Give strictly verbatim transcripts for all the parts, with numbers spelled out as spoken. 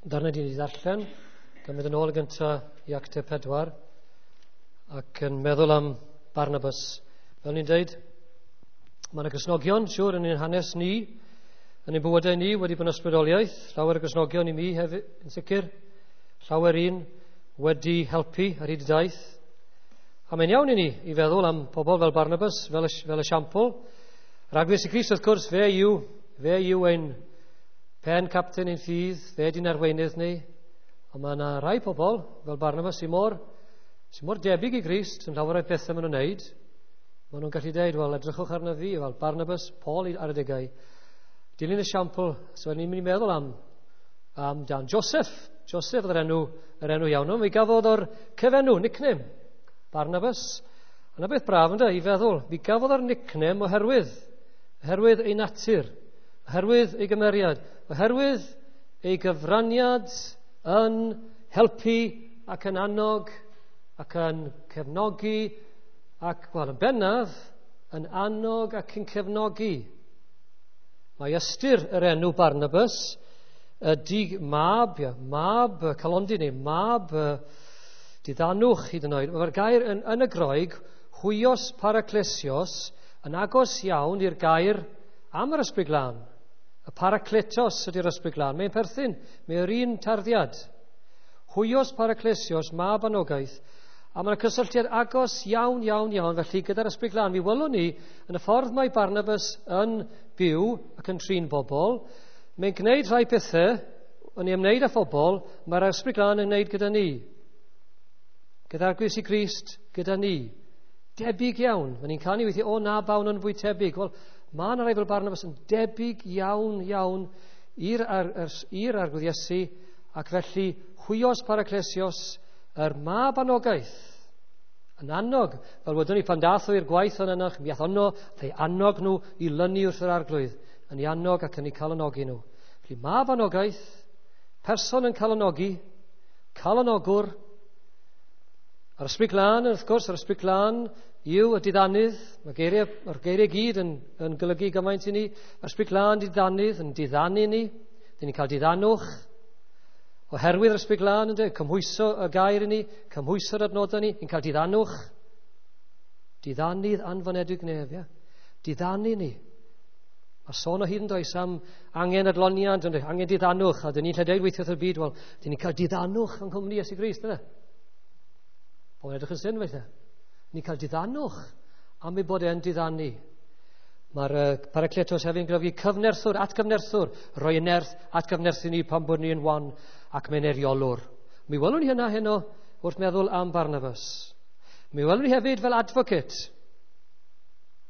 Darnau di ni ddarllen, gan mynd yn ôl gyntaf i Actau pedwar, ac yn meddwl am Barnabas. Fel ni'n deud, mae yna Gristnogion, siŵr, yn ein hanes ni, yn ein bywydau ni, wedi bod yn ysbrydoliaeth. Llawer o Gristnogion i mi hefyd, yn sicr. Llawer un wedi helpu ar hyd y daith. A mae'n iawn i ni i feddwl am pobl fel Barnabas, fel, fel esiampl. Rhagfyr Iesu Grist, wrth gwrs, fe yw, fe yw ein pen capten ein ffydd, fe di'n arweinydd ni. Ond mae yna rai pobl, fel Barnabas, sy'n mor, sy mor debyg i Grist yn llawer o'r pethau maen nhw'n wneud. Maen nhw'n gallu deud, wel, edrychwch arno fi, fel Barnabas, Paul ar adegau. Dilyn esiampl, so ni'n mynd i meddwl am, am dan Joseph. Joseph oedd yr enw, yr enw iawn. Mi gafodd o'r cyfenw, nickname, Barnabas. Yna beth braf ynddo, i feddwl, mi gafodd o'r nickname oherwydd, oherwydd ei natur, oherwydd ei gymeriad, oherwydd ei gyfraniad yn helpu ac yn annog ac yn cefnogi ac, wel, yn bennaf, yn annog ac yn cefnogi. Mae ystyr yr enw Barnabas ydy mab, ia, mab calondi neu mab diddanwch hyd yn oed. Mae'r gair yn, yn y Groeg, huios paraklesios, yn agos iawn i'r gair am yr Ysbryd Glân. Y parakletos ydy'r Ysbryd Glân. Mae'n perthyn, mae'r un tarddiad. Huios paraklesios, mab anogaeth. A mae'n cysylltiad agos iawn, iawn, iawn, felly gyda'r Ysbryd Glân. Mi welwn ni, yn y ffordd mae Barnabas yn byw ac yn trin bobl, mae'n gwneud rhai pethau, yn ei ymwneud â phobl, mae'r Ysbryd Glân yn gwneud gyda ni. Gyda'r Arglwydd Iesu Grist, gyda ni. Debyg iawn. Mae ni'n canu weithiau, o na, bawn yn fwy tebyg. Wel, mae yna rai fel Barnabas yn debyg iawn, iawn i'r, ar, i'r Arglwydd Iesu, ac felly huios paraklesios, yr mab anogaeth, yn annog, fel wedwn ni pan dath o i'r gwaith yn yna, mi ath ono, ei annog nhw i lynu wrth yr Arglwydd, yn ei annog ac yn ei calonogi nhw. Felly mab anogaeth, person yn calonogi, calonogwr, a'r Ysbryd Glân, wrth gwrs, yr Ysbryd Glân yw y diddanydd, mae geiriau, mae'r geiriau gyd yn, yn golygu gymaint i ni, mae'r Ysbryd Glân diddanydd, yn diddanu ni, dyn ni'n cael diddanwch, oherwydd yr Ysbryd Glân, ynddo, cymhwyso y gair i ni, cymhwyso'r adnodau ni, ni'n cael diddanwch, diddanydd anfonedig nef, ia. Diddanu ni. Mae sôn o hyd yn does am angen adloniant, ynddo, angen diddanwch, a dyn ni'n lle deud weithio wrth y byd, wel, dyn ni'n cael diddanwch yng nghwmni Iesu Grist, ynddo. Pobl edrych yn syn felly. Ni'n cael diddanwch am ei bod e'n diddanu. Mae'r uh, parakletos hefyd yn golygu cyfnerthwr, atgyfnerthwr, rhoi y nerth atgyfnerthu ni pan bod ni'n wan, ac mae'n eriolwr. Mi welwn ni hynna heno wrth meddwl am Barnabas. Mi welwn ni hefyd fel advocate,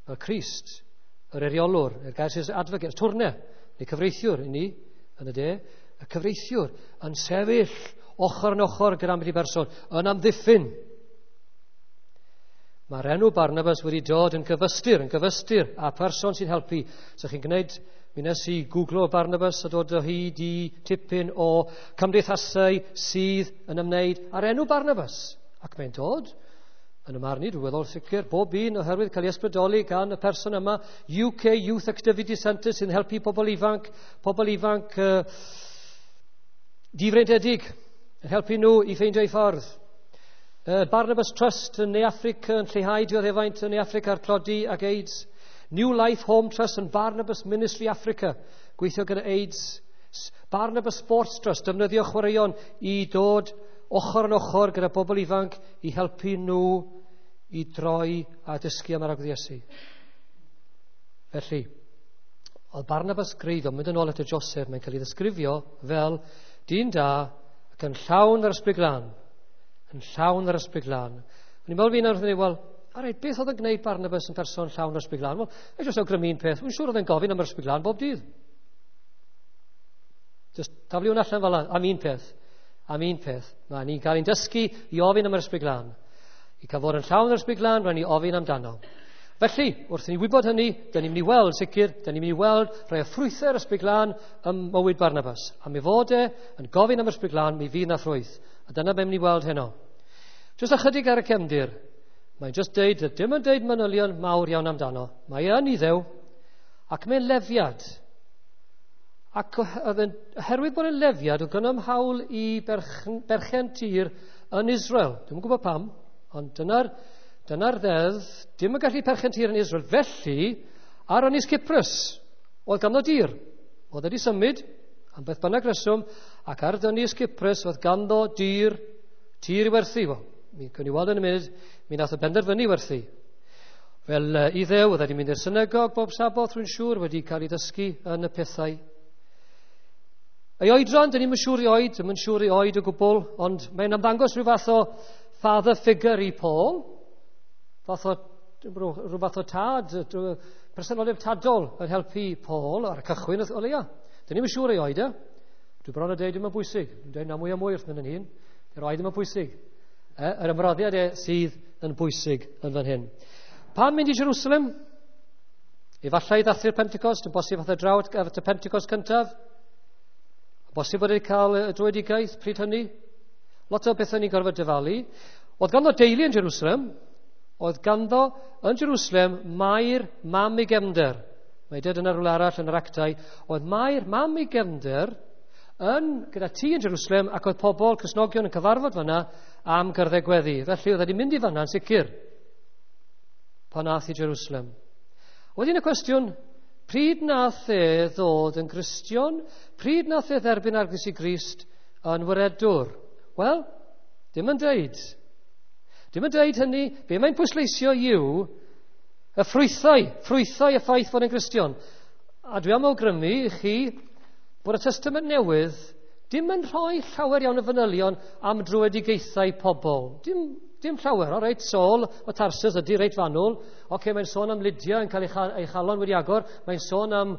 fel Crist, yr eriolwr, yr gair sy'n advocate, twrne, neu cyfreithiwr i ni yn y de, y cyfreithiwr yn sefyll ochr yn ochr gyda ambell i berson, yn amddiffyn. Mae'r enw Barnabas wedi dod yn gyfystyr, yn gyfystyr a person sy'n helpu. So chi'n gwneud, mi nes i googlo Barnabas a dod o hyd i tipyn o cymdeithasau sydd yn ymwneud â'r enw Barnabas. Ac mae'n dod, yn y marn i, dwi'n weddol sicr, bob un oherwydd cael ei ysbrydoli gan y person yma, U K Youth Activity Centre sy'n helpu pobl ifanc, pobl ifanc uh, difreintiedig, yn helpu nhw i ffeindio eu ffordd. Uh, Barnabas Trust yn Ne Affrica yn lleihau dioddefaint yn Ne Affrica a'r tlodi ac AIDS. New Life Home Trust yn Barnabas Ministry Africa, gweithio gyda AIDS. Barnabas Sports Trust, defnyddio chwaraeon i dod ochr yn ochr gyda bobl ifanc i helpu nhw i droi a dysgu am yr Arglwydd Iesu. Felly, oedd Barnabas greiddiol, mynd yn ôl at y Joseph, mae'n cael ei ddisgrifio fel dyn da ac yn llawn yr Ysbryd Glân. Yn llawn yr Ysbryd Glân. O'n i'n meddwl fi nawr, wel, alright, beth oedd yn gwneud Barnabas yn person llawn yr Ysbryd Glân? Wel, e jyst awgrymu un peth, wy'n siŵr oedd e'n gofyn am yr Ysbryd Glân bob dydd. Just taflu hwn allan fel am un peth. Am un peth. Mae ni'n cael ein dysgu i ofyn am yr Ysbryd Glân. I cael fod yn llawn yr Ysbryd Glân, rhaid ni ofyn amdano. Felly, wrth i ni wybod hynny, dyn ni'n mynd i weld, sicr, dyn ni'n mynd i weld rhai o ffrwythau'r Ysbryd Glân ym mywyd Barnabas. A mi fod e yn gofyn am yr Ysbryd Glân, mi fydd na ffrwyth. A dyna be mynd i weld heno. Jyst ychydig ar y cefndir. Mae'n jyst deud, dim yn deud manylion mawr iawn amdano. Mae e yn Iddew, ac mae'n lefiad. Ac oherwydd bod yn lefiad, oedd gynnom hawl i berchen, berchen tir yn Israel. Dwi'm yn gwybod pam, ond dyna'r dyna ddeddf, dim yn gallu perchen tir yn Israel. Felly, ar Ynys Cyprus, oedd ganddo dir. Oedd wedi symud, am beth bynnag reswm, ac ar Ynys Cyprus oedd ganddo dir, tir i werthu. Wel, mi gawn ni weld yn y munud, mi nath o benderfynu werthu. Fel uh, Iddew, oedd wedi mynd i'r synagog bob Saboth, rwy'n siŵr, wedi cael ei ddysgu yn y pethau. Ei oedran, dyn ni'm yn siŵr ei oed, ddim yn siŵr ei oed o gwbl, ond mae'n ymddangos rhyw fath o father figure i Paul, fath o, rhyw fath o tad, presenoldeb tadol yn helpu Paul ar y cychwyn o leia. Dyn ni'm yn siŵr ei oed e. Dwi bron o deud ddim yn bwysig. Dwi'n deud na mwy a mwy wrth mynd yn hyn. Yr oed ddim yn bwysig. E, yr ymroddiad e sydd yn bwysig yn fan hyn. Pam mynd i Jerusalem? Efallai i ddathlu'r Pentecost, yn bosib fath o draw at y Pentecost cyntaf. Yn bosib bod wedi cael y dröedigaeth pryd hynny. Lot o bethau ni'n gorfod dyfalu. Oedd ganddo deulu yn Jerusalem. Oedd ganddo yn Jerusalem Mair, mam ei gefnder. Mae dweud yna rhywle arall yn yr actau. Oedd Mair, mam ei gefnder, yn, gyda tŷ yn Jerusalem, ac oedd pobl, Cristnogion yn cyfarfod fanna am gyrddau gweddi. Felly oedd wedi mynd i fanna yn sicr pan ath i Jerusalem. Wedyn y cwestiwn, pryd nath e ddod yn Gristion? Pryd nath e dderbyn Arglwydd Iesu Grist yn waredwr? Wel, dim yn deud. Dim yn deud hynny. Be mae'n pwysleisio yw y ffrwythau, ffrwythau y ffaith fod yn Gristion. A dwi am awgrymu i chi bod y Testament Newydd dim yn rhoi llawer iawn o fanylion am dröedigaethau pobl. Dim, dim llawer, o reit, Saul o Tarsus ydy reit fanwl. Oce, mae'n sôn am Lydia yn cael ei, cha, ei chalon wedi agor. Mae'n sôn am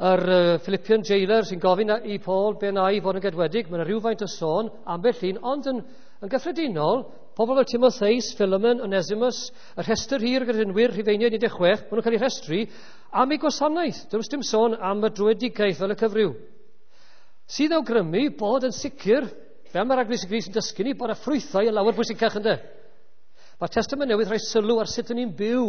yr uh, Philippian jailer sy'n gofyn i Paul be na i fod yn gedwedig. Mae'n rhywfaint o sôn, ambell un, ond yn, yn gyffredinol, pobl fel Timotheus, Philemon, Onesimus, y rhestr hir gyda gredinwyr, Rhufeiniaid un deg chwech, maen nhw'n cael eu rhestru am eu gwasanaeth. Does dim sôn am y dröedigaeth fel y cyfryw. Sydd awgrymu bod yn sicr, fel mae'r Arglwydd Iesu Grist yn dysgu ni, bod y ffrwythau yn lawer bwysicach ynddo. Mae'r Testament Newydd rhoi sylw ar sut ydyn ni'n byw.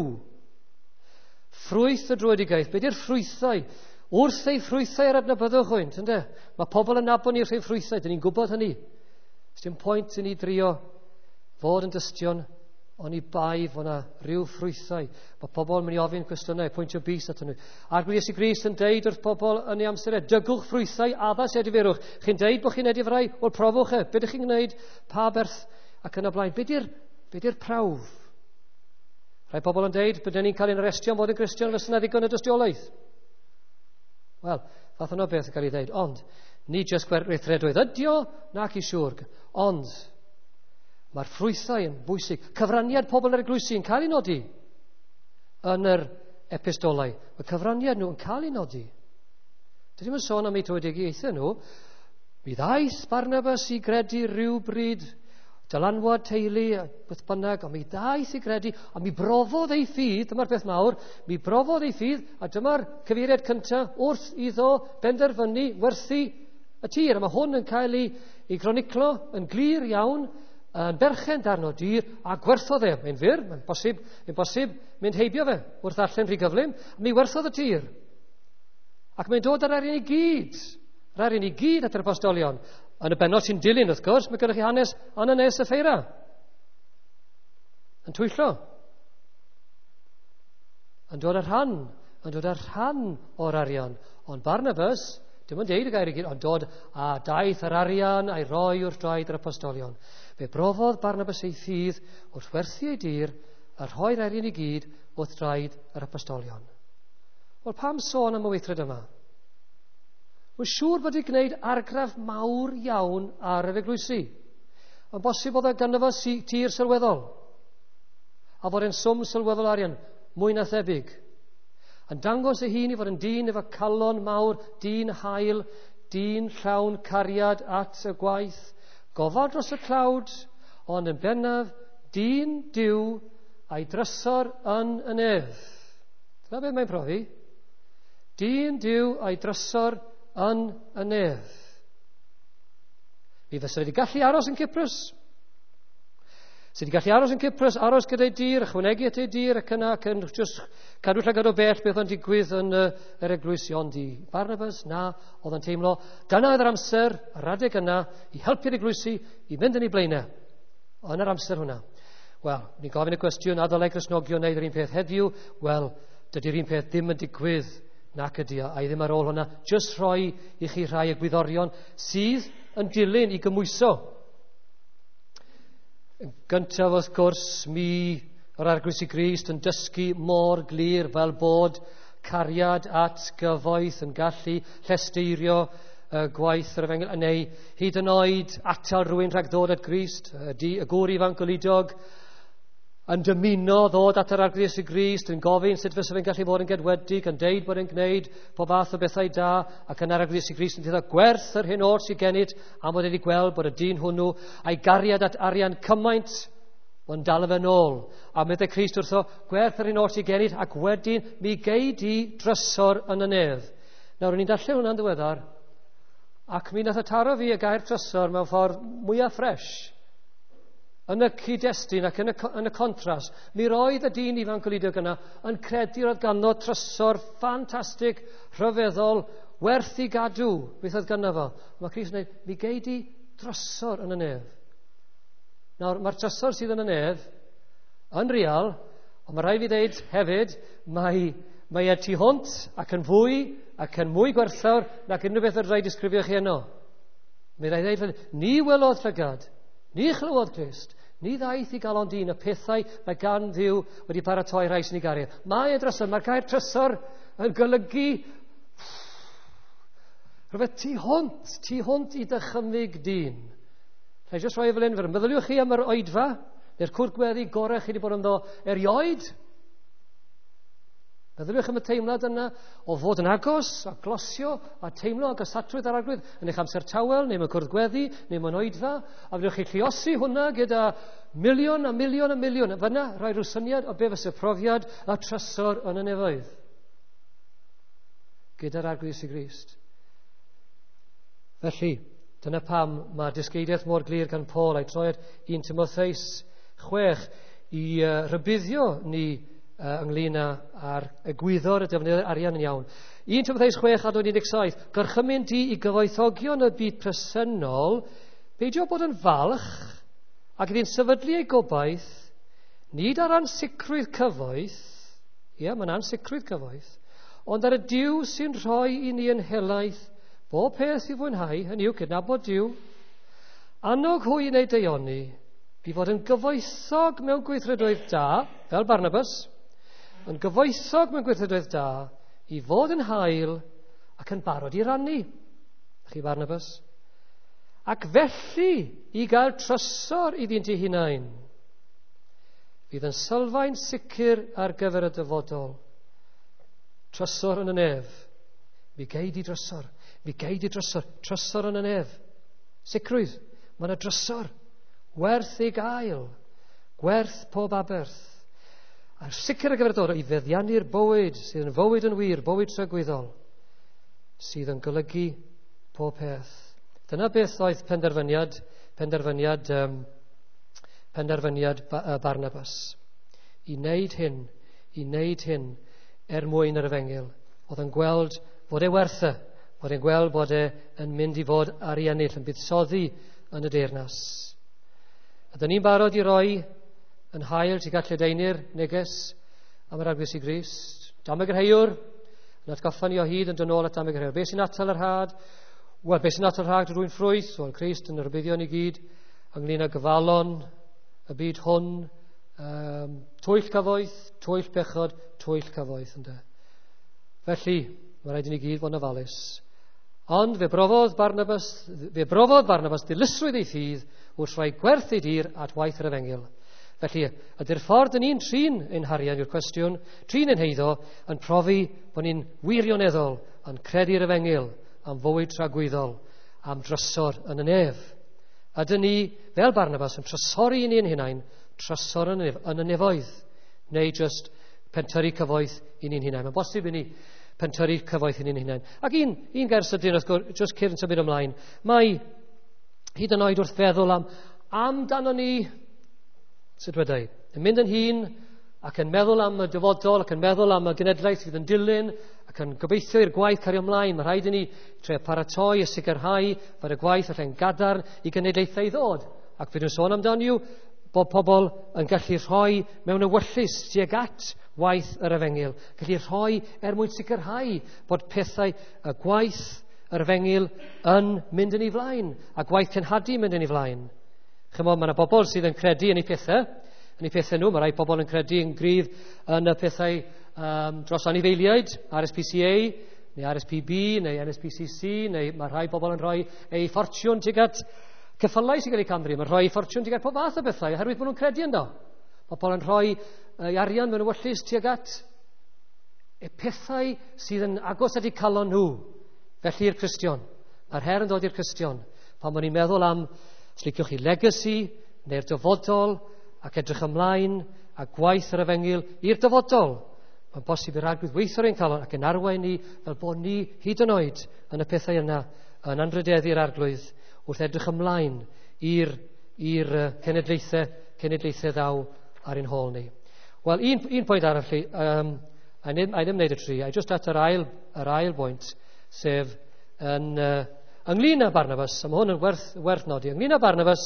Ffrwyth y dröedigaeth, be di'r ffrwythau? Wrth ei ffrwythau yr adnabyddwch hwynt, ynddo? Mae pobl yn nabod ni wrth ei ffrwythau, dyn ni'n gwybod hynny. Dim pwynt i ni drio fod yn dystion, oni bai fod yna rhyw ffrwythau. Mae pobl yn mynd i ofyn cwestiynau, pwyntio bys at nhw. Arglwydd Iesu Grist yn deud wrth pobl yn ei amser e, dygwch ffrwythau addas edifeirwch. Chi'n deud bod chi'n edifarhau? Wel, profwch e. Be ydych chi'n gwneud? Pa berth? Ac yn y blaen. Be di'r, be di'r prawf? Rhai pobl yn deud, bydden ni'n cael ein arestio am fod yn Gristion, fysa yna ddigon o dystiolaeth. Wel, fath yno beth yn cael ei ddeud. Ond, ni jyst gweithredoedd ydi o, nac i siŵr. Ond, mae'r ffrwythau yn bwysig. Cyfraniad pobl yr eglwysi yn cael ei nodi yn yr epistolau. Mae cyfraniad nhw yn cael ei nodi. Dydym yn sôn am eu dröedigaethau nhw. Mi ddaeth Barnabas i gredu rhywbryd, dylanwad teulu, beth bynnag, ond mi ddaeth i gredu, a mi brofodd ei ffydd, dyma'r beth mawr, mi brofodd ei ffydd, a dyma'r cyfeiriad cyntaf wrth iddo benderfynu werthu y tir. A mae hwn yn cael ei, ei groniclo yn glir iawn, yn berchen darn o dir, a gwerthodd e. Mae'n fyr, mae'n bosib, mae'n bosib mynd heibio fe wrth ddarllen rhy gyflym. Mi werthodd y tir. Ac mae'n dod ar arian i gyd. Yr arian i gyd at yr apostolion. Yn y bennod sy'n dilyn, wrth gwrs, mae gennych chi hanes Ananias a Sapphira. Yn twyllo. Yn dod ar rhan, yn dod ar rhan o'r arian. Ond Barnabas, dim ond deud y gair i gyd, ond dod a daeth yr arian a'i roi wrth draed yr apostolion. Fe brofodd Barnabas ei ffydd wrth werthu ei dir a rhoi'r arian i gyd wrth draed yr apostolion. Wel, pam sôn am y weithred yma? Mae'n siŵr bod wedi gwneud argraff mawr iawn ar yr eglwysi. Mae'n bosib bod e ganddo fo tir sylweddol, a fod e'n swm sylweddol arian, mwy na thebyg. Yn dangos ei hun i fod yn dyn efo calon mawr, dyn hael, dyn llawn cariad at y gwaith, gofal dros y tlawd, ond yn bennaf, dyn Duw a'i drysor yn y nef. Dyna beth mae'n profi. Dyn Duw a'i drysor yn y nef. Mi fysa wedi gallu aros yn Cyprus. Sydd wedi gallu aros yn Cyprus, aros gyda'i dir, ychwanegu at ei dir ac yna, ac yn just cadw llygad o bell beth o'n digwydd yn uh, yr eglwys. Ond i Barnabas, na, oedd yn teimlo, dyna oedd yr amser, yr adeg yna, i helpu'r eglwysi i fynd yn ei blaenau. Yn yr amser hwnna. Wel, ni'n gofyn y cwestiwn, a ddylai Cristnogion wneud yr un peth heddiw? Wel, dydy'r un peth ddim yn digwydd nac ydy o, a i ddim ar ôl hwnna. Just rhoi i chi rhai egwyddorion sydd yn dilyn i gymwyso. Yn gyntaf, wrth gwrs, mi yr Arglwydd Iesu Grist yn dysgu mor glir fel bod cariad at gyfoeth yn gallu llesteirio y gwaith yr efengyl, neu hyd yn oed atal rhywun rhag ddod at Grist, y, di, y gŵr ifanc goludog yn dymuno ddod at yr Arglwydd Iesu Grist, yn gofyn sut fysa fe'n gallu bod yn gedwedig, yn deud bod e'n gwneud pob fath o bethau da, ac yn Arglwydd Iesu Grist yn dweud gwerth yr hyn oll sydd gennyt, am bod wedi gweld bod y dyn hwnnw a'i gariad at arian cymaint, ond dal fe nôl. A meddai Crist wrtho, gwerth yr hyn oll sydd gennyt, ac wedyn mi gei di drysor yn y nef. Nawr, o'n i'n darllen hwnna'n ddiweddar, ac mi nath y taro fi y gair trysor mewn ffordd mwyaf ffres. Yn y cyd-destun ac yn y, yn y contrast, mi roedd y dyn ifanc goludog yna yn credu roedd ganddo trysor ffantastig, rhyfeddol, werth i gadw, beth oedd ganddo fo. Mae Crist yn dweud, mi gei di drysor yn y nef. Nawr, mae'r trysor sydd yn y nef yn real, ond mae rhaid fi ddeud hefyd, mae, mae e tu hwnt ac yn fwy ac yn mwy gwerthfawr nac unrhyw beth yr rhaid disgrifio chi yno. Mae rhaid ddeud, ni welodd llygad, ni chlywodd Crist, ni ddaeth i galon dyn y pethau mae gan Dduw wedi paratoi rhai sy'n ei garu. Mae e drysor, mae'r gair trysor yn golygu rhywbeth tu hwnt, tu hwnt i dychymyg dyn. Rhaid jyst rhoi fel un, meddyliwch chi am yr oedfa, neu'r cwrdd gweddi gorau chi wedi bod ynddo erioed. Meddyliwch am y teimlad yna o fod yn agos a glosio a teimlo agosatrwydd ar Arglwydd yn eich amser tawel, neu mewn cwrdd gweddi, neu mewn oedfa, a fedrwch chi lluosi hwnna gyda miliwn a miliwn a miliwn. A fyna rhoi rhyw syniad o be fysa profiad a trysor yn y nefoedd gyda'r Arglwydd Iesu Grist. Felly, dyna pam mae dysgeidiaeth mor glir gan Paul a'i troed un Timotheus chwech i uh, rhybuddio ni uh, ynglyn â'r egwyddor y defnyddio arian yn iawn. un Timotheus chwech adnod un deg saith, gorchymyn di i gyfoethogion y byd presennol, beidio bod yn falch ac iddi'n sefydlu ei gobaith, nid ar ansicrwydd cyfoeth, ie, mae'n ansicrwydd cyfoeth, ond ar y Duw sy'n rhoi i ni yn helaeth bob peth i fwynhau, hynny yw cydnabod Duw, annog hwy i wneud daioni, i fod yn gyfoethog mewn gweithredoedd da, fel Barnabas, yn gyfoethog mewn gweithredoedd da, i fod yn hael ac yn barod i rannu. Chi Barnabas? Ac felly i gael trysor iddynt eu hunain, fydd yn sylfaen sicr ar gyfer y dyfodol. Trysor yn y nef. Mi gei di drysor. Mi gei di drysor. Trysor yn y nef. Sicrwydd. Mae yna drysor. Werth ei gael. Gwerth pob aberth. A'r sicr ar gyfer y dyfodol i feddiannu'r bywyd sydd yn fywyd yn wir, bywyd tragwyddol, sydd yn golygu pob peth. Dyna beth oedd penderfyniad, penderfyniad, um, penderfyniad Barnabas. I wneud hyn, i wneud hyn er mwyn yr efengyl. Oedd yn gweld bod e werth e, bod e'n gweld bod e yn mynd i fod ar ei ennill, yn buddsoddi yn y deyrnas. Ydyn ni'n barod i roi yn hael tuag at lledaenu'r neges am yr Arglwydd Iesu Grist? Dameg yr heiwr, yn atgoffa ni o hyd yn dod nôl at dameg yr heiwr. Be sy'n atal yr had? Wel, be sy'n atal yr had rwy'n ffrwyth? Wel, Crist yn rhybuddio ni gyd ynglyn â gyfalon y byd hwn, um, twyll cyfoeth, twyll bechod, twyll cyfoeth, ynde. Felly, mae rhaid i ni gyd fod yn ofalus. Ond fe brofodd Barnabas, fe brofodd Barnabas dilysrwydd ei ffydd wrth rhoi gwerth ei dir at waith yr efengyl. Felly, ydy'r ffordd yn ni'n trin ein harian yw'r cwestiwn, trin ein heiddo, yn profi bod ni'n wirioneddol yn credu'r efengyl am fywyd tragwyddol, am drysor yn y nef. Ydyn ni, fel Barnabas, yn trysori i ni'n hunain, trysor yn y nef, yn y nefoedd, neu just pentyrru cyfoeth i ni'n hunain. Mae'n bosib i ni pentyrru cyfoeth i ni'n hunain. Ac un, un gair sydyn, wrth gwrs, just cyn symud ymlaen, mae hyd yn oed wrth feddwl am amdano ni Sut wedai? Yn mynd yn hŷn ac yn meddwl am y dyfodol, ac yn meddwl am y genedlaeth sydd yn dilyn, ac yn gobeithio i'r gwaith cario ymlaen. Mae rhaid i ni trio paratoi a sicrhau fod y gwaith allan gadarn i genedlaethau i ddod. Ac fe dwi'n sôn amdano yw bod pobl yn gallu rhoi mewn ewyllys tuag at waith yr efengyl. Gallu rhoi er mwyn sicrhau bod pethau, y gwaith yr efengyl yn mynd yn ei flaen, a gwaith cenhadu yn mynd yn ei flaen. Chymod, mae yna bobl sydd yn credu yn eu pethau, yn eu pethau nhw. Mae rai pobl yn credu yn gryf yn y pethau um, dros anifeiliaid, R S P C A, neu R S P B, neu N S P C C, neu mae rhai bobl yn rhoi eu ffortiwn tuag at ceffylau sy'n cael eu camdrin. Mae'n rhoi ffortiwn tuag at pob fath o bethau, oherwydd bod nhw'n credu ynddo. Pobl yn rhoi ei arian mewn ewyllys tuag at y pethau sydd yn agos at eu calon nhw. Felly i'r Cristion. Mae'r her yn dod i'r Cristion. Pan bod ni'n meddwl am, os liciwch chi, legacy, neu'r dyfodol, ac edrych ymlaen, a gwaith yr efengyl i'r dyfodol. Mae'n bosib i'r Arglwydd weithio ar ein calon ac yn arwain ni fel bod ni hyd yn oed yn y pethau yna yn anrhydeddu'r Arglwydd wrth edrych ymlaen i'r, i'r cenedlaethau, cenedlaethau ddaw ar ein hôl ni. Wel, un, un pwynt arall, um, a ddim, a ddim wneud y tri, a just at yr ail, yr ail bwynt, sef yn, uh, ynglyn â Barnabas, a mae hwn yn werth, werth nodi, ynglyn â Barnabas,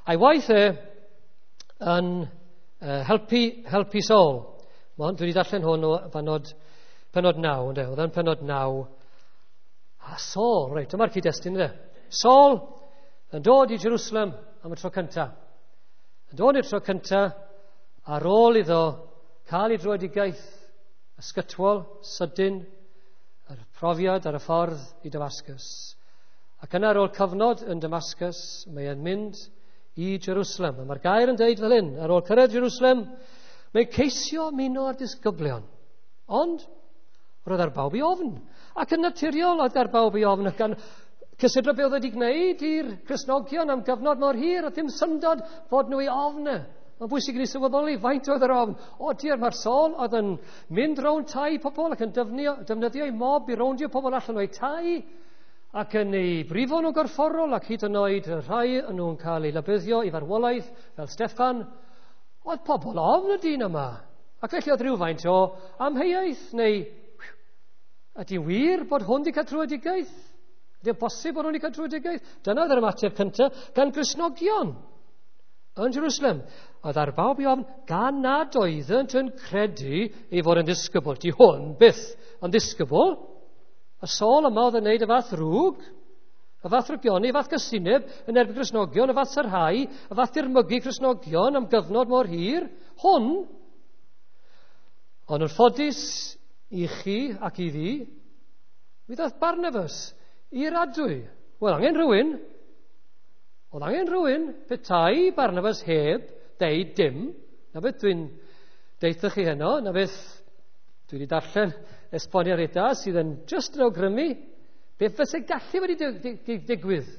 a'i waith e yn uh, helpu, helpu Saul. Mae hwn, dwi wedi darllen hwn o penod, penod naw, ynde? Oedd yn penod naw. A Saul, reit, dyma'r cyd-destun, ynde? Saul yn dod i Jerusalem am y tro cyntaf. Yn dod i'r tro cyntaf ar ôl iddo cael ei dröedigaeth ysgytwol, sydyn, yr profiad ar y ffordd i Damascus. Ac yna ar ôl cyfnod yn Damascus, mae e'n mynd i Jerusalem. A mae'r gair yn deud fel hyn, ar ôl cyrraedd Jerusalem, mae'n ceisio ymuno â'r disgyblion. Ond roedd ar bawb i ofn. Ac yn naturiol oedd ar bawb i ofn. Gan cysidro beth oedd wedi gwneud i'r Cristnogion am gyfnod mor hir, oedd ddim syndod fod nhw i ofn. Mae'n bwysig i ni sylweddoli faint oedd yr ofn. O diar, mae'r Saul oedd yn mynd rownd tai pobl ac yn defnyddio, defnyddio ei mob i rowndio pobl allan o'i tai ac yn ei brifo nhw gorfforol ac hyd yn oed rhai yn nhw'n cael eu labyddio i farwolaeth fel Steffan. Oedd pobl ofn y dyn yma. Ac felly oedd rhywfaint o amheuaeth neu ydy wir bod hwn wedi cael tröedigaeth? Ydy bosib bod hwn wedi cael tröedigaeth? Dyna oedd yr ymateb cyntaf gan Gristnogion yn Jerusalem. Oedd ar bawb i ofn gan nad oeddynt yn credu ei fod yn ddisgybl. Di hwn byth yn ddisgybl. Y Saul yma oedd yn gwneud y fath rwg, y fath rwgioni, y fath gysineb yn erbyn Cristnogion, y fath sarhau, y fath dirmygu Cristnogion am gyfnod mor hir. Hwn, ond yn ffodus i chi ac i fi, mi ddaeth Barnabas i'r adwy. Wel, angen rhywun. Oedd angen rhywun, petai Barnabas heb deud dim. Na beth dwi'n deutha chi heno, na beth dwi wedi darllen esboniad reit sydd yn just yn awgrymu beth fyse gallu wedi digwydd.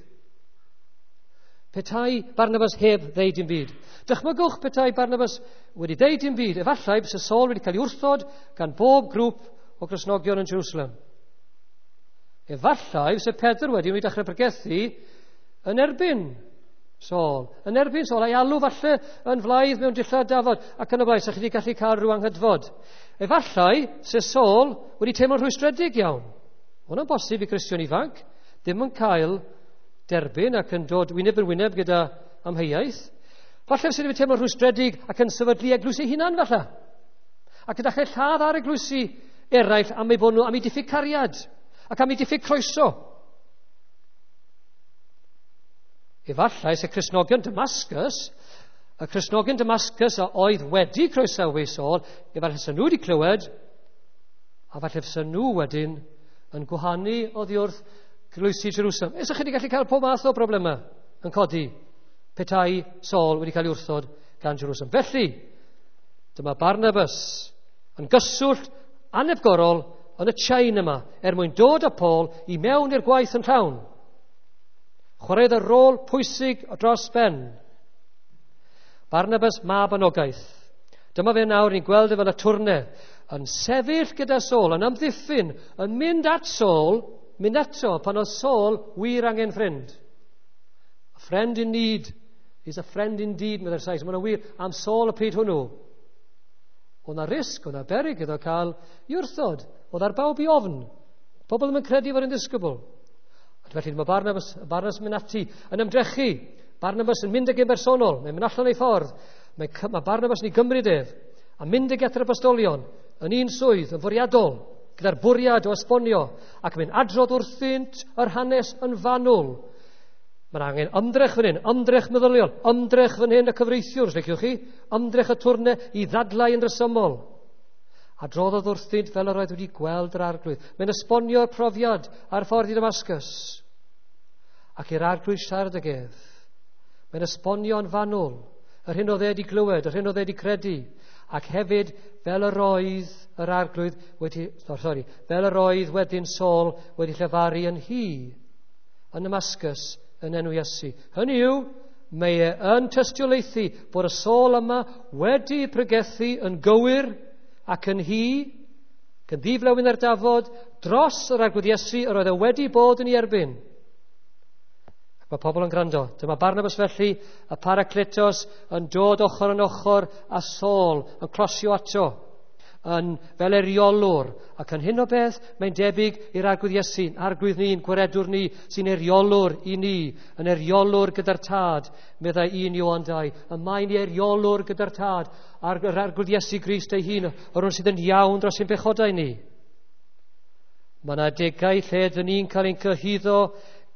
Petai Barnabas heb ddeud dim byd. Dychmygwch petai Barnabas wedi deud dim byd. Efallai byse Saul wedi cael ei wrthod gan bob grŵp o Gristnogion yn Jerusalem. Efallai byse Pedr wedi wedi dechrau pregethu yn erbyn Saul. Yn erbyn Saul, a'i alw falle yn flaidd mewn dillad dafod ac yn y blaen, sa chi wedi gallu cael rhyw anghydfod. Efallai se Saul wedi teimlo'n rhwystredig iawn. Hwnna'n bosib i Gristion ifanc, ddim yn cael derbyn ac yn dod wyneb yn wyneb gyda amheuaeth. Falle sydd wedi teimlo'n rhwystredig ac yn sefydlu eglwys ei hunan falle. Ac yn dechrau lladd ar eglwysi eraill am eu bod nhw am eu diffyg cariad ac am eu diffyg croeso. Efallai se Cristnogion Damascus, y Cristnogion Damascus a oedd wedi croesawu Saul, efallai se nhw wedi clywed, a falle se nhw wedyn yn gwahanu oddi wrth eglwysi Jerusalem. Esa chi wedi gallu cael pob math o broblemau yn codi petai Saul wedi cael ei wrthod gan Jerusalem. Felly, dyma Barnabas yn gyswllt anhepgorol yn y chain yma er mwyn dod â Paul i mewn i'r gwaith yn llawn. Chwaraeodd y rôl pwysig dros ben. Barnabas mab anogaeth. Dyma fe nawr ni'n gweld e fel y twrne yn sefyll gyda Saul, yn amddiffyn, yn mynd at Saul, mynd ato pan oedd Saul wir angen ffrind. A friend in need Is a friend indeed, meddai'r Sais. Mae'n wir am Saul y pryd hwnnw. Oedd na risg, oedd na berig iddo cael i wrthod. Oedd ar bawb i ofn. Pobl ddim yn credu fod yn ddisgybl. Ac felly mae Barnabas, Barnabas yn mynd ati, yn ymdrechu. Barnabas yn mynd ag yn bersonol, mae'n mynd allan ei ffordd. Mae, mae Barnabas yn ei gymryd ef, a mynd ag at yr apostolion, yn un swydd, yn fwriadol, gyda'r bwriad o esbonio, ac mynd adrodd wrthynt yr hanes yn fanwl. Mae'n angen ymdrech fan hyn, ymdrech meddyliol, ymdrech fan hyn y cyfreithiwr, os liciwch chi, ymdrech y twrne i ddadlau yn resymol. Adroddodd wrthynt fel yr oedd wedi gweld yr arglwydd. Mae'n esbonio'r profiad ar ffordd i Damascus. Ac i'r arglwydd siarad ag ef. Mae'n esbonio'n fanwl yr hyn oedd e wedi glywed, yr hyn oedd e wedi credu. Ac hefyd, fel yr oedd yr arglwydd wedi, oh, sorry, fel yr oedd wedyn Saul wedi llefaru yn hi, yn Damascus, yn enw Iesu. Hynny yw, mae e yn tystiolaethu bod y Saul yma wedi pregethu yn gywir ac yn hi, gan ddiflewyn ar dafod, dros yr arglwydd Iesu yr oedd e wedi bod yn ei erbyn. Ac mae pobl yn gwrando. Dyma Barnabas felly, y Paracletos yn dod ochr yn ochr a Saul yn closio ato, yn fel eriolwr. Ac yn hyn o beth, mae'n debyg i'r arglwydd Iesu, arglwydd ni'n gwaredwr ni, sy'n eriolwr i ni, yn eriolwr gyda'r tad, meddai un Ioan dau. Y mae'n eriolwr gyda'r tad, a'r arglwydd Iesu Grist ei hun, yr hwn sydd yn iawn dros ein pechodau ni. Mae yna adegau lle dyn ni'n cael ein cyhuddo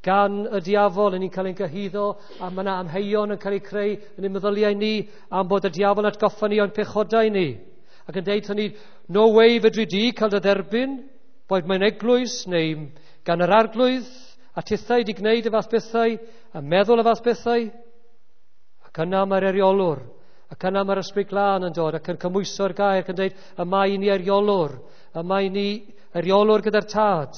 gan y diafol, yn ni'n cael ein cyhuddo, a mae yna amheuon yn cael eu creu yn ein meddyliau ni am bod y diafol yn atgoffa ni o'n pechodau ni. Ac yn deud hynny, no way fedri di cael dy dderbyn, boed mewn eglwys neu gan yr arglwydd, a tithau di gwneud y fath bethau, a meddwl y fath bethau. Ac yna mae'r eriolwr, ac yna mae'r ysbryd glân yn dod, ac yn cymhwyso'r gair, ac yn dweud, y mae ni eriolwr, y mae ni eriolwr gyda'r tad.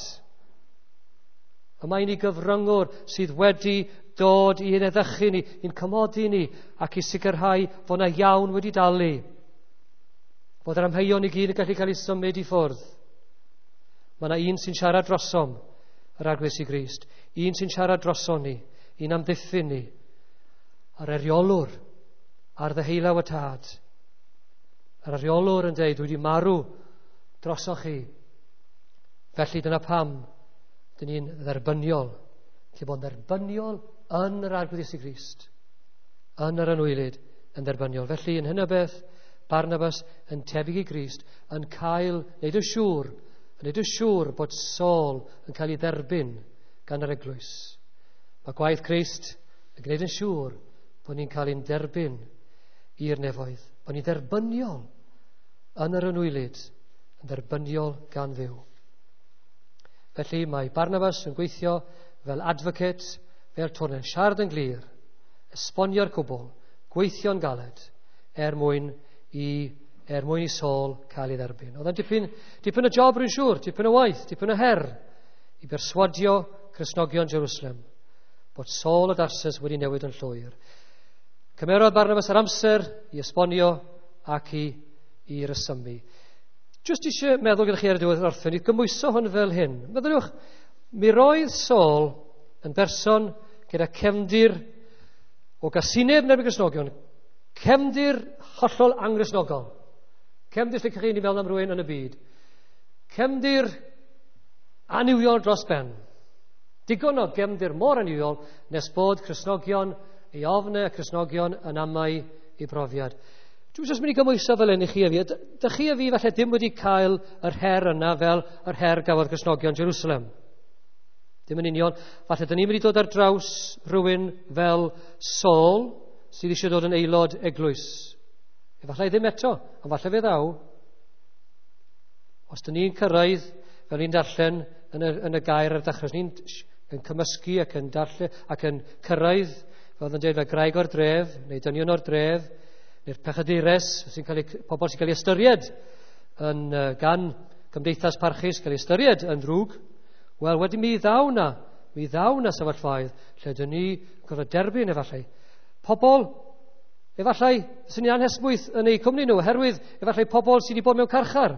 Y mae ni gyfryngwr sydd wedi dod i'n eddychu ni, i'n cymodi ni, ac i sicrhau fod yna iawn wedi dalu. Bod yr amheuon i gyd yn gallu cael ei symud i ffwrdd. Mae yna un sy'n siarad drosom, yr Arglwydd Iesu Grist. Un sy'n siarad droson ni, un amddiffyn ni. A'r eriolwr, ar ddeheullaw y tad. Yr eriolwr yn dweud, dwi wedi marw drosoch chi. Felly dyna pam dyn ni'n dderbyniol. Lle bod yn dderbyniol yn yr Arglwydd Iesu Grist. Yn yr anwylyd yn dderbyniol. Felly yn hyn o beth, Barnabas yn tebyg i Grist, yn cael, wneud yn siŵr, yn wneud yn siŵr bod Saul yn cael ei dderbyn gan yr eglwys. Mae gwaith Crist yn gwneud yn siŵr bod ni'n cael ein derbyn i'r nefoedd, bod ni'n dderbyniol yn yr anwylyd, yn dderbyniol gan Dduw. Felly mae Barnabas yn gweithio fel advocate, fel twrne, siarad yn glir, esbonio'r cwbl, gweithio'n galed, er mwyn i, er mwyn i Saul cael ei dderbyn. Oedd e'n dipyn, dipyn o job rwy'n siŵr, dipyn o waith, dipyn o her i berswadio Cristnogion Jerusalem bod Saul o Darsus wedi newid yn llwyr. Cymerodd Barnabas yr amser i esbonio ac i, i resymu. Jyst eisiau meddwl gyda chi ar y diwedd orffen, i gymhwyso hwn fel hyn. Meddyliwch, mi roedd Saul yn berson gyda cefndir o gasineb yn erbyn Cristnogion, cefndir hollol anghristnogol. Cefndir lle chi ni fel am rhywun yn y byd. Cefndir annuwiol dros ben. Digon o gefndir mor annuwiol nes bod Cristnogion ei ofne a Cristnogion yn amau ei brofiad. Dwi'n jyst mynd i gymhwyso fel hyn i chi a fi. Dych chi a fi falle dim wedi cael yr her yna fel yr her gafodd Cristnogion Jerusalem. Dim yn union. Falle dyn ni'n mynd i dod ar draws rhywun fel Saul sydd eisiau dod yn aelod eglwys. Efallai ddim eto, ond falle fe ddaw. Os dyn ni'n cyrraedd, fel ni'n darllen yn y, yn y gair ar dechrau, os ni'n yn cymysgu ac yn darllen ac yn cyrraedd, fel oedd yn dweud, fel graig o'r dref, neu dynion o'r dref, neu'r pechadures, sy'n cael ei, pobl sy'n cael ei ystyried yn, gan gymdeithas parchus, cael ei ystyried yn ddrwg, wel, wedyn mi ddaw na, mi ddaw na sefyllfaoedd lle dyn ni gorfod derbyn efallai. Pobl, efallai, sy'n ni'n anhesmwyth yn eu cwmni nhw, oherwydd efallai pobl sydd wedi bod mewn carchar.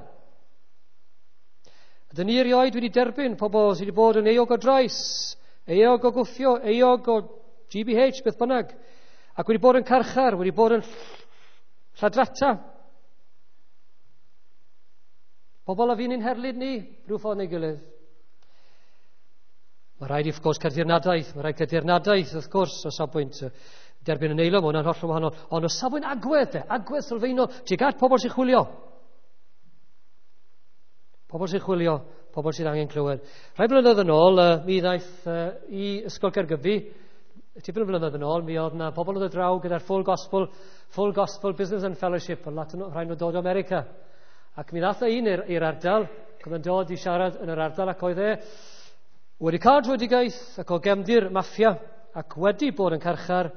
Ydyn ni erioed wedi derbyn pobl sydd wedi bod yn euog o drais, euog o gwffio, euog o G B H, beth bynnag. Ac wedi bod yn carchar, wedi bod yn lladrata. Pobl a fi'n ein herlid ni, rhyw ffordd neu gilydd. Mae rhaid i, wrth gwrs, cael dirnadaeth. Mae rhaid cael dirnadaeth, wrth gwrs, o safbwynt derbyn yn eilo, mae hwnna'n hollol wahanol. Ond o safbwynt agwedd, de, agwedd sylfaenol, tuag at pobl sy'n chwilio. Pobl sy'n chwilio, pobl sydd angen clywed. Rhai blynyddoedd yn ôl, uh, mi ddaeth uh, i Ysgol Caergybi, tipyn o blynyddoedd yn ôl, mi oedd yna pobl oedd y draw gyda'r Full Gospel, Full Gospel Business and Fellowship, oedd lot rhai nhw dod o America. Ac mi ddaeth un i'r ardal, ac oedd yn dod i siarad yn yr ardal, ac oedd e wedi cael drwydigaeth ac o gefndir maffia, ac wedi bod yn carchar,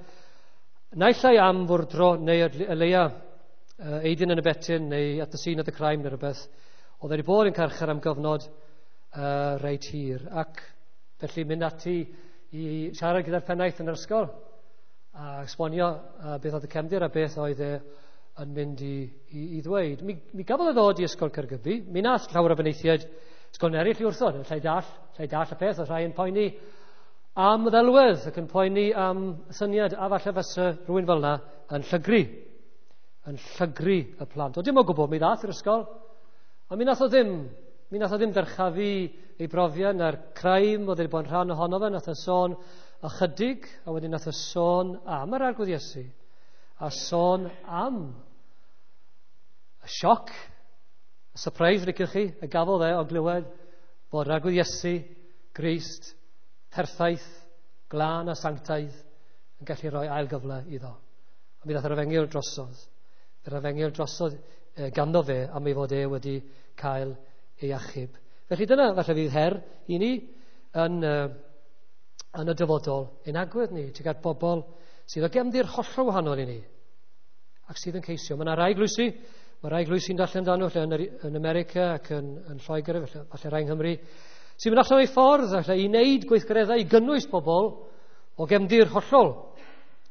naill ai am fwrdro neu y leia uh, aiding and abetting neu at the scene of the crime neu rhywbeth. Oedd wedi bod yn carchar am gyfnod uh, reit hir, ac felly mynd ati i siarad gyda'r pennaeth yn yr ysgol a esbonio uh, beth oedd y cefndir a beth oedd e yn mynd i, i, i ddweud. Mi, mi gafodd e ddod i Ysgol Caergybi, mi nath llawer o benaethiaid ysgol eraill i wrthod, llai dall, llai dall y peth, oedd rhai yn poeni am ddelwedd ac yn poeni am syniad, a falle fysa rhywun fel yna yn llygru, yn llygru y plant. O dim o gwbl, mi ddath i'r ysgol, a mi nath o ddim, mi nath o ddim dyrchafu ei brofiad na'r crime oedd wedi bod yn rhan ohono fe, nath o sôn ychydig, a wedyn nath o sôn am yr Arglwydd Iesu, a sôn am y sioc, y surprise, riciwch chi, y gafodd e o glywed bod yr Arglwydd Iesu, Grist, perffaith, glân a sanctaidd, yn gallu rhoi ail gyfle iddo. A mi ddath yr efengyl drosodd. Yr efengyl drosodd eh, ganddo fe am ei fod e wedi cael ei achub. Felly dyna falle fydd her i ni yn, uh, yn y dyfodol, ein agwedd ni tuag at bobl sydd o gefndir hollol wahanol i ni ac sydd yn ceisio. Mae yna rai eglwysi, mae rai eglwysi'n darllen amdano lle yn, yn America ac yn, yn Lloegr, falle, falle rai yng Nghymru, sy'n mynd allan o'i ffordd falle, i wneud gweithgareddau i gynnwys pobl o gefndir hollol,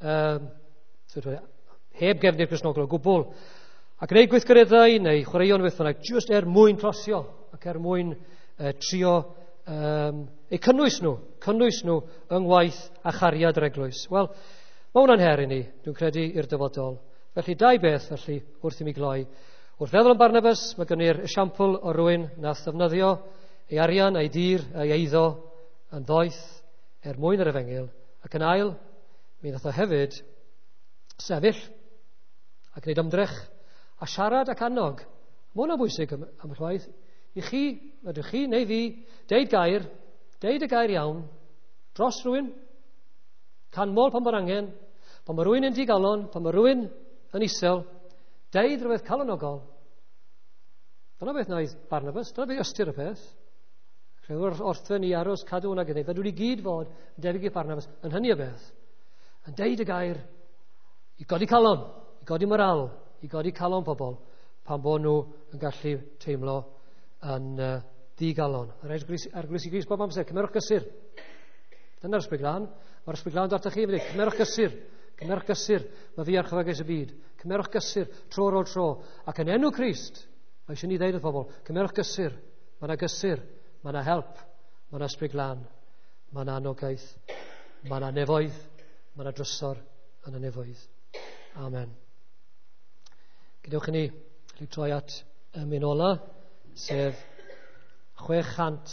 um, heb gefndir Cristnogol o gwbl, a gwneud gweithgareddau neu chwaraeon beth bynnag, just er mwyn closio ac er mwyn uh, trio um, eu cynnwys nhw, cynnwys nhw yng ngwaith a chariad yr eglwys. Wel, mae hwnna'n her i ni, dwi'n credu, i'r dyfodol. Felly, dau beth, felly, wrth i mi gloi. Wrth feddwl am Barnabas, mae gen i'r esiampl o rywun nath ddefnyddio ei arian, ei dir, ei eiddo yn ddoeth er mwyn yr efengyl. Ac yn ail, mi nath o hefyd sefyll a gwneud ymdrech a siarad ac annog. Mae hwnna'n bwysig am, am y chwaith. I chi, ydych chi neu fi, deud gair, deud y gair iawn, dros rhywun, canmol pan bod angen, pan mae rhywun yn digalon, pan mae rhywun yn isel, deud rhywbeth calonogol. Dyna beth wnaeth Barnabas, dyna beth ystyr y peth. Rhywbeth orffen i aros cadw hwnna gyda. Fe dwi wedi gyd fod yn debyg i Barnabas yn hynny o beth. Yn deud y gair i godi calon, i godi moral, i godi calon pobl, pan bod nhw yn gallu teimlo yn uh, ddigalon. Yr Arglwydd Grist bob amser, cymerwch gysur. Dyna'r Ysbryd Glân. Mae'r Ysbryd Glân dod atoch chi, cymerwch gysur. Cymerwch gysur, mae fi archifagais y byd. Cymerwch gysur, tro ar ôl tro. Ac yn enw Crist, mae eisiau ni ddeud wrth pobl, cymerwch gysur. Mae yna gysur, mae yna help, mae yna Ysbryd Glân, mae yna anogaeth, mae yna nefoedd, mae yna drysor yn y nefoedd. Amen. Gadewch i ni troi at y emyn ola, sef chwe chant